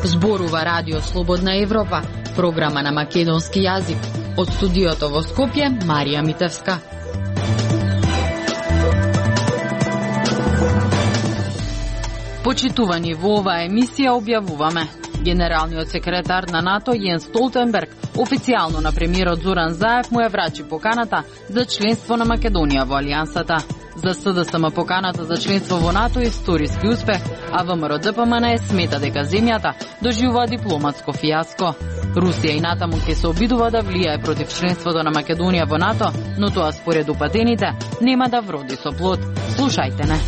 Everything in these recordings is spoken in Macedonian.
Зборува Радио Слободна Европа, програма на македонски јазик. Од студиото во Скопје, Марија Митевска. Почитувани во оваа емисија објавуваме: генералниот секретар на НАТО Јенс Столтенберг официјално на премиерот Зоран Заев му ја врачи поканата за членство на Македонија во Алијансата. За СДСМ поканата за членство во НАТО е историски успех, а ВМРО-ДПМН смета дека земјата доживува дипломатско фијаско. Русија и натаму ќе се обидува да влијае против членството на Македонија во НАТО, но тоа според упатените нема да вроди со плод. Слушајте не.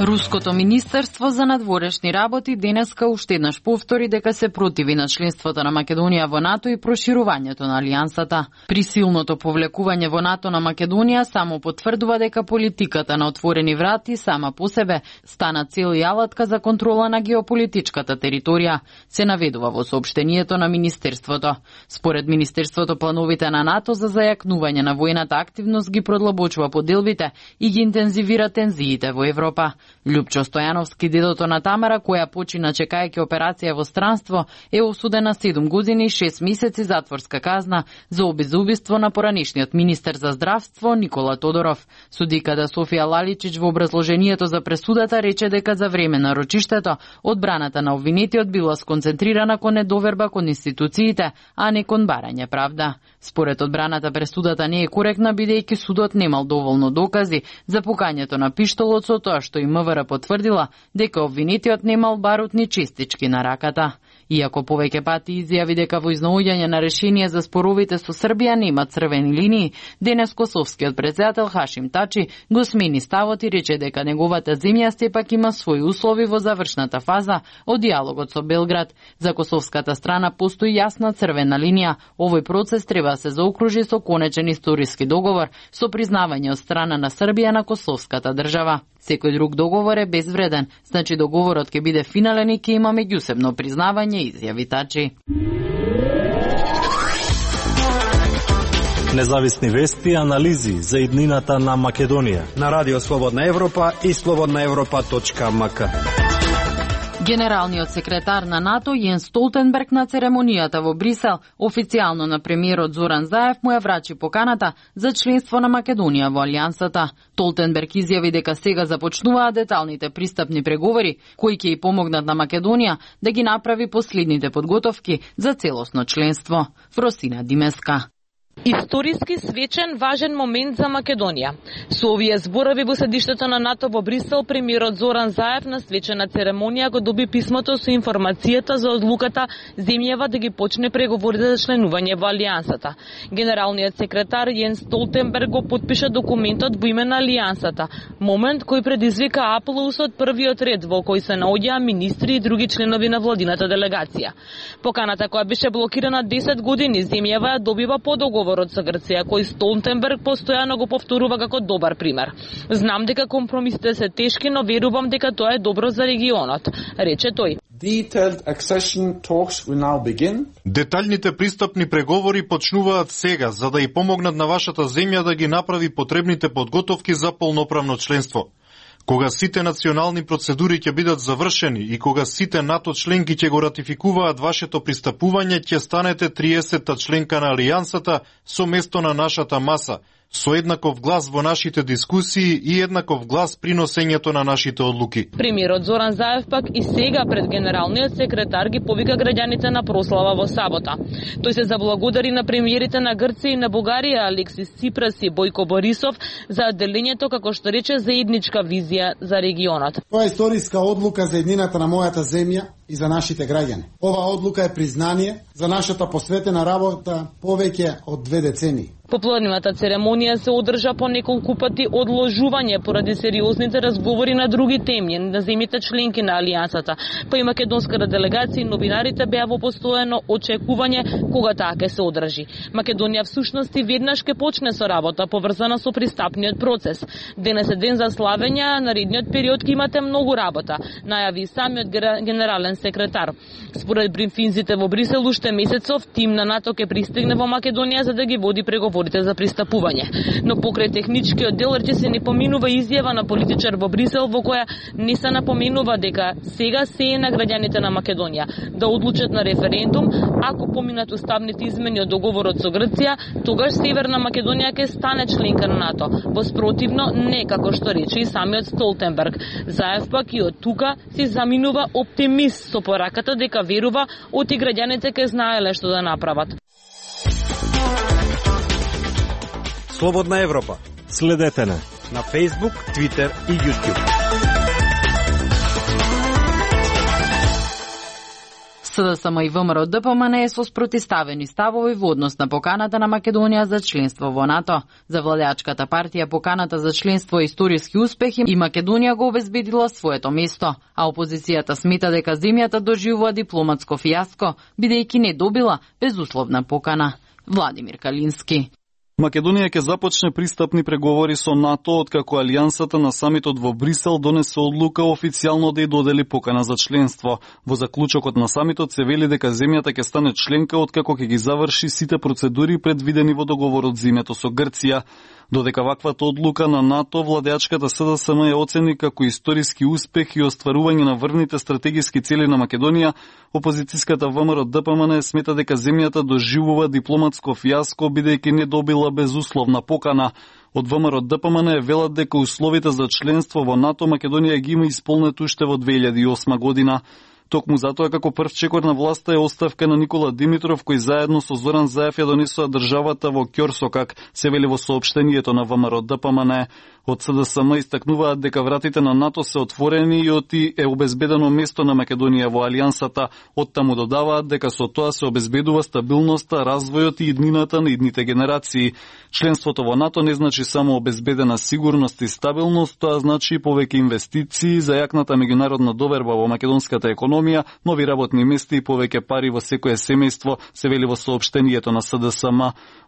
Руското министерство за надворешни работи денеска уште еднаш повтори дека се противи на членството на Македонија во НАТО и проширувањето на Алијансата. Присилното повлекување во НАТО на Македонија само потврдува дека политиката на отворени врати сама по себе стана цел и алатка за контрола на геополитичката територија, се наведува во соопштението на министерството. Според министерството, плановите на НАТО за зајакнување на воената активност ги продлабочува поделбите и ги интензивира тензиите во Европа. Љупчо Стојановски, дедото на Тамара, која почина чекајќи операција во странство, е осуден на 7 години и 6 месеци затворска казна за убиство на поранишниот министер за здравство Никола Тодоров. Судиката Софија Лаличич во образложението за пресудата рече дека за време на рочиштето одбраната на обвинетиот била сконцентрирана кон недоверба кон институциите, а не кон барање правда. Според одбраната, пресудата не е коректна, бидејќи судот немал доволно докази за пукањето на пиштолот, со тоа што и МВР потврдила дека обвинетиот немал барутни честички на раката. Иако повеќе пати изјави дека во изнаоѓање на решение за споровите со Србија нема црвени линии, денес косовскиот претседател Хашим Тачи го смени ставот и рече дека неговата земја сепак има своји услови во завршната фаза од диалогот со Белград. За косовската страна постои јасна црвена линија. Овој процес треба да се заокружи со конечен историски договор со признавање од страна на Србија на косовската држава. Секој друг договор е безвреден, значи договорот ќе биде финален и ќе има меѓусебно признавање, изјави Тачи. Независни вести и анализи за иднината на Македонија на Радио Слободна Европа и slobodnaevropa.mk. Генералниот секретар на НАТО Јенс Столтенберг на церемонијата во Брисел официјално на премиерот Зоран Заев му ја врачи поканата за членство на Македонија во Алијансата. Столтенберг изјави дека сега започнуваат деталните пристапни преговори кои ќе и помогнат на Македонија да ги направи последните подготовки за целосно членство. Фросина Димеска. Историски свечен, важен момент за Македонија. Со овие зборови во седиштето на НАТО во Брисел, премиерот Зоран Заев на свечена церемонија го доби писмото со информацијата за одлуката земјава да ги почне преговорите за членување во Алијансата. Генералниот секретар Јенс Столтенберг го потпиша документот во име на Алијансата, момент кој предизвика аплауз од првиот ред во кој се наоѓаа министри и други членови на владината делегација. Поканата која беше блокирана 10 години, земјава ја добива по договорот со Грција, кој Столтенберг постојано го повторува како добар пример. Знам дека компромисите се тешки, но верувам дека тоа е добро за регионот, рече тој. Деталните пристапни преговори почнуваат сега, за да ја помогнат на вашата земја да ги направи потребните подготовки за полноправно членство. Кога сите национални процедури ќе бидат завршени и кога сите НАТО членки ќе го ратификуваат вашето пристапување, ќе станете 30-та членка на Алијансата со место на нашата маса, со еднаков глас во нашите дискусии и еднаков глас при носењето на нашите одлуки. Премиерот Зоран Заев пак и сега пред генералниот секретар ги повика граѓаните на прослава во сабота. Тој се заблагодари на премиерите на Грција и на Бугарија Алексис Ципрас и Бојко Борисов за делењето, како што рече, заедничка визија за регионот. Тоа е историска одлука за еднината на мојата земја и за нашите граѓани. Оваа одлука е признание за нашата посветена работа повеќе од 2 децении. Попладневата церемонија се одржа по неколку пати одложување поради сериозните разговори на други теми на земјите членки на Алијансата. Па и македонската делегација и новинарите беа во постојано очекување кога таа ќе се одржи. Македонија всушност и веднаш ќе почне со работа поврзана со пристапниот процес. Денес е ден за славење, а наредниот период ќе имате многу работа, најави самиот генерален секретар. Според брифинзите во Брисел, уште месецов тим на НАТО ќе пристигне во Македонија за да ги води преговори преговорите за пристапување. Но покрај техничкиот дел речиси не поминува изјава на политичар во Брисел во која не се напоменува дека сега се е на граѓаните на Македонија да одлучат на референдум. Ако поминат уставните измени од договорот со Грција, тогаш Северна Македонија ќе стане членка на НАТО. Воспротивно, не како што рече и самиот Столтенберг. Заев пак и од тука се заминува оптимист со пораката дека верува оти граѓаните ќе знаеле што да направат. Слободна Европа. Следете на Facebook, Twitter и YouTube. СДСМ и ВМРО ДПМН со спротиставени ставови во однос на поканата на Македонија за членство во НАТО. За владеачката партија поканата за членство е историски успех и Македонија го обезбедила своето место, а опозицијата смета дека земјата доживува дипломатско фијаско, бидејќи не добила безусловна покана. Владимир Калински. Македонија ќе започне пристапни преговори со НАТО откако Алијансата на самитот во Брисел донесе одлука официјално да ја додели покана за членство. Во заклучокот на самитот се вели дека земјата ќе стане членка откако ќе ги заврши сите процедури предвидени во договорот за името со Грција. Додека ваквата одлука на НАТО, владеачката СДСМ ја оцени како историски успех и остварување на врвните стратегиски цели на Македонија, опозицијската ВМРО ДПМН смета дека земјата доживува дипломатско фијаско бидејќи не добила безусловна покана. Од ВМРО ДПМН велат дека условите за членство во НАТО Македонија ги има исполнет уште во 2008 година. Токму затоа како прв чекор на власта е оставка на Никола Димитров, кој заедно со Зоран Заев ја донесоа државата во ќорсокак, се вели во соопштението на ВМРО ДПМН. Од СДСМ истакнуваат дека вратите на НАТО се отворени и оти е обезбедено место на Македонија во Алијансата. Оттаму додаваат дека со тоа се обезбедува стабилноста, развојот и иднината на идните генерации. Членството во НАТО не значи само обезбедена сигурност и стабилност, тоа значи и повеќе инвестиции за јакната меѓународна доверба во македонската економија, нови работни места и повеќе пари во секое семејство, се вели во соопштението на СДСМ.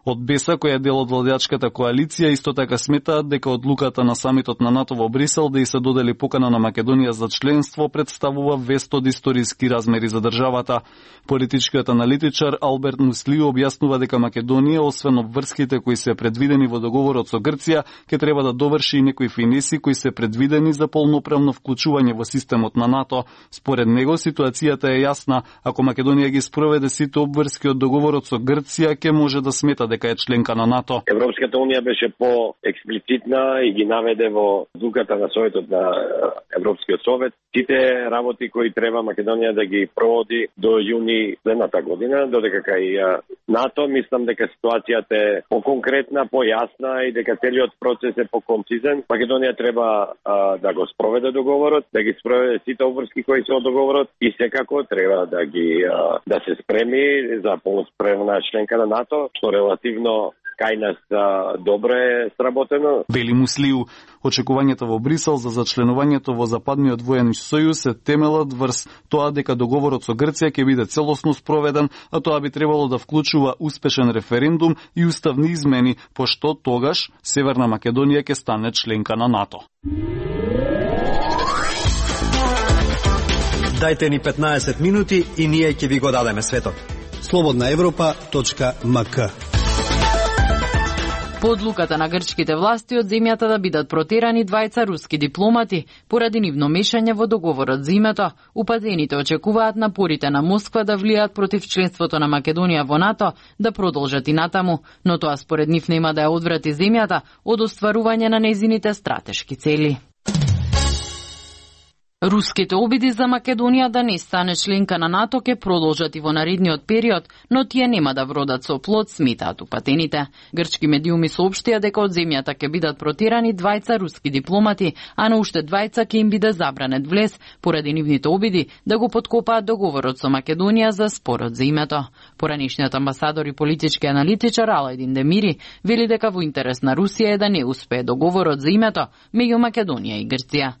Од БЕСА, која е дел од владеачката коалиција, исто така сметаат дека одлуката на самитот на НАТО во Брисел да и се додели покана на Македонија за членство представува вест од историски размери за државата. Политичкиот аналитичар Алберт Муслио објаснува дека Македонија, освен обврските кои се предвидени во договорот со Грција, ќе треба да доврши и некои финеси кои се предвидени за полноправно вклучување во системот на НАТО. Според него ситуацијата е јасна. Ако Македонија ги спроведе сите обврски од договорот со Грција, ќе може да смета дека е членка на НАТО. Европската унија беше по-експлицитна и ги наведе во одлуката на Советот на Европскиот совет сите работи кои треба Македонија да ги проводи до јуни следната година, додека кај НАТО мислам дека ситуацијата е по-конкретна, по-јасна и дека целиот процес е по-концизен. Македонија треба да го спроведе договорот, да ги спроведе сите обврски кои се од договорот и секако треба да се спреми за полноспремна членка на НАТО, што релативно кај нас добре сработено. Вели Муслиу, очекувањето во Брисел за зачленувањето во Западниот воен сојуз се темелат врз тоа дека договорот со Грција ќе биде целосно спроведен, а тоа би требало да вклучува успешен референдум и уставни измени, пошто тогаш Северна Македонија ќе стане членка на НАТО. Дајте ни 15 минути и ние ќе ви го дадеме светот. slobodnaevropa.mk. По одлуката на грчките власти од земјата да бидат протерани двајца руски дипломати поради нивно мешање во договорот за името, упатените очекуваат напорите на Москва да влијаат против членството на Македонија во НАТО да продолжат и натаму, но тоа според нив нема да ја одврати земјата од остварување на нејзините стратешки цели. Руските обиди за Македонија да не стане членка на НАТО ќе продолжат и во наредниот период, но тие нема да вродат со плод, сметаат упатените. Грчки медиуми соопштија дека од земјата ќе бидат протерани двајца руски дипломати, а на уште двајца ќе им биде забранет влез поради нивните обиди да го поткопаат договорот со Македонија за спорот за името. Поранишниот амбасадор и политички аналитичар Алајдин Демири вели дека во интерес на Русија е да не успее договорот за името меѓу Македонија и Грција.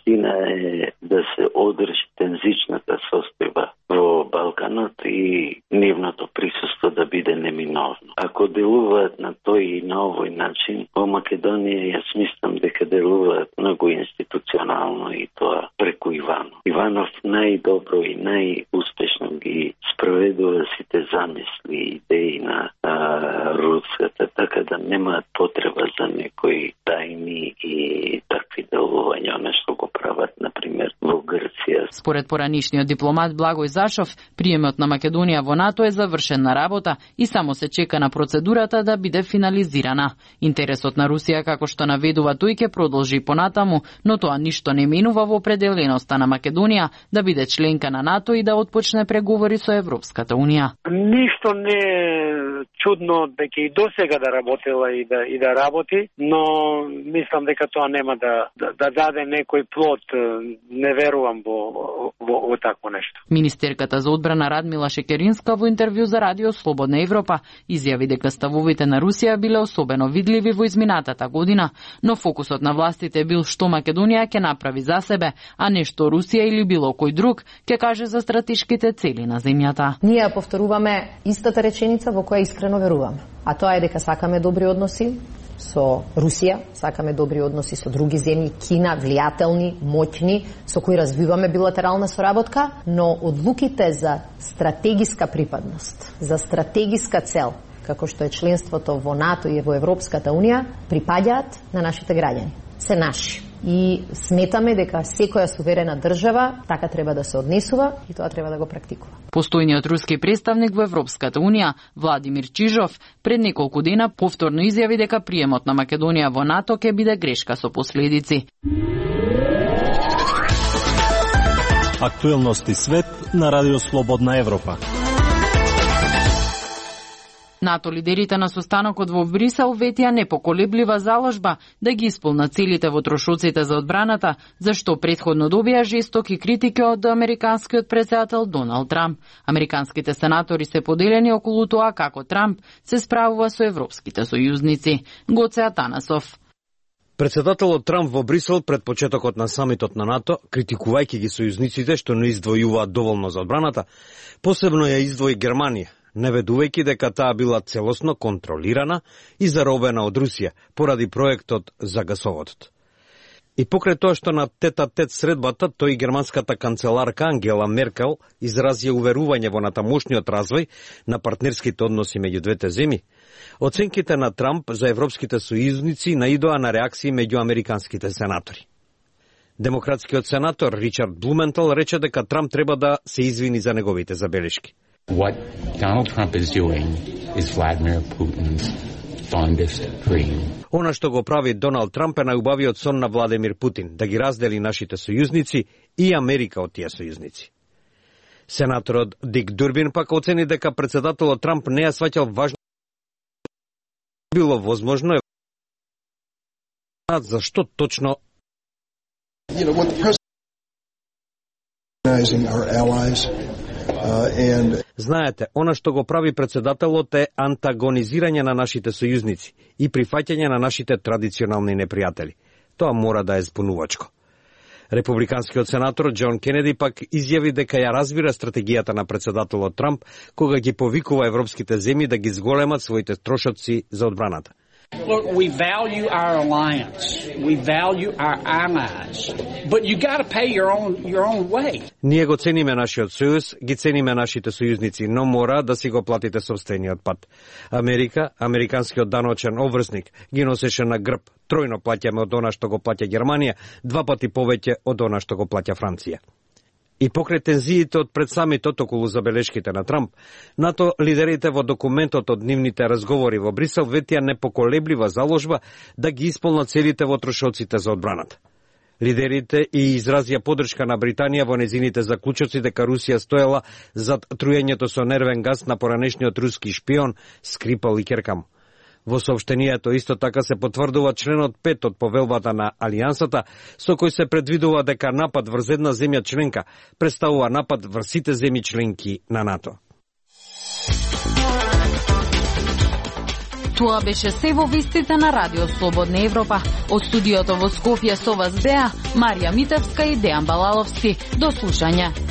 Е да се одржи тензичната состојба во Балканот и нивното присуство да биде неминовно. Ако делуваат на тој и на овој начин, во Македонија јас мислам дека делуваат многу институционално и тоа преку Иванов. Иванов најдобро и најуспешно ги спроведува сите замисли и идеи на руската, така немаат потреба за некои тајни и такви делувања, нешто го прават, например, во Грција. Според поранишниот дипломат Благој Зашов, приемот на Македонија во НАТО е завршен на работа и само се чека на процедурата да биде финализирана. Интересот на Русија, како што наведува тој, ќе продолжи понатаму, но тоа ништо не менува во определеноста на Македонија да биде членка на НАТО и да отпочне преговори со Европската Унија. Ништо не е чудно дека и досега да работела и да работи, но мислам дека тоа нема да даде некој плод. Не верувам во такво нешто. Министерката за одбрана Радмила Шекеринска во интервју за Радио Слободна Европа изјави дека ставовите на Русија биле особено видливи во изминатата година, но фокусот на властите бил што Македонија ќе направи за себе, а не што Русија или било кој друг ќе каже за стратешките цели на земјата. Ние повторуваме истата реченица во која искрено веруваме, а тоа е дека сакаме добри односи со Русија, сакаме добри односи со други земји, Кина, влијателни, моќни, со кои развиваме билатерална соработка, но одлуките за стратегиска припадност, за стратегиска цел, како што е членството во НАТО и во Европската Унија, припаѓаат на нашите граѓани. Се наши. И сметаме дека секоја суверена држава така треба да се однесува и тоа треба да го практикува. Постојниот руски представник во Европската Унија, Владимир Чижов, пред неколку дена повторно изјави дека приемот на Македонија во НАТО ќе биде грешка со последици. Актуелности свет на Радио Слободна Европа. НАТО лидерите на состанокот во Брисел ветија непоколеблива заложба да ги исполнат целите во трошоците за одбраната, зашто претходно добија жестоки критики од американскиот претседател Доналд Трамп. Американските сенатори се поделени околу тоа како Трамп се справува со европските сојузници. Гоце Атанасов. Претседателот Трамп во Брисел пред почетокот на самитот на НАТО, критикувајќи ги сојузниците што не издвојуваат доволно за одбраната, посебно ја издвои Германија, наведувајќи дека таа била целосно контролирана и заробена од Русија поради проектот за гасоводот. И покрај тоа што на тет-а-тет средбата, тој германската канцеларка Ангела Меркел изрази уверување во натамошниот развој на партнерските односи меѓу двете земји, оценките на Трамп за европските сојузници наидоа на реакции меѓу американските сенатори. Демократскиот сенатор Ричард Блументал рече дека Трамп треба да се извини за неговите забелешки. What Donald Trump is doing is Vladimir Putin's fondest dream. Она што го прави Доналд Трамп е најубавиот сон на Владимир Путин, да ги раздели нашите сојузници и Америка од тие сојузници. Сенаторот Дик Дурбин пак оцени дека претседателот Трамп не ја сваќал важно било возможно зашто точно Знаете, она што го прави претседателот е антагонизирање на нашите сојузници и прифаќање на нашите традиционални непријатели. Тоа мора да е збунувачко. Републиканскиот сенатор Џон Кенеди пак изјави дека ја разбира стратегијата на претседателот Трамп кога ги повикува европските земји да ги зголемат своите трошоци за одбраната. Look, we value our alliance. We value our allies. But you got to pay your own way. Ние го цениме нашиот сојуз, ги цениме нашите сојузници, но мора да си го платите собствениот пат. Америка, американскиот даночен обврсник, ги носеше на грб. Тројно плаќаме од она што го плаќа Германија, 2 пати повеќе од она што го плаќа Франција. И покрај тензиите од пред самитот околу забелешките на Трамп, НАТО лидерите во документот од нивните разговори во Брисел ветија непоколеблива заложба да ги исполнат целите во трошоците за одбраната. Лидерите и изразија поддршка на Британија во незините заклучоци дека Русија стоела зад труењето со нервен газ на поранешниот руски шпион Скрипал и Керкам. Во соопштението исто така се потврдува членот 5 од повелбата на Алијансата, со кој се предвидува дека напад врз една земја членка представува напад врз сите земји членки на НАТО. Тоа беше се во вестите на Радио Слободна Европа. Од студиото во Скопје со вас беа Марија Митевска и Дејан Балаловски. До слушање.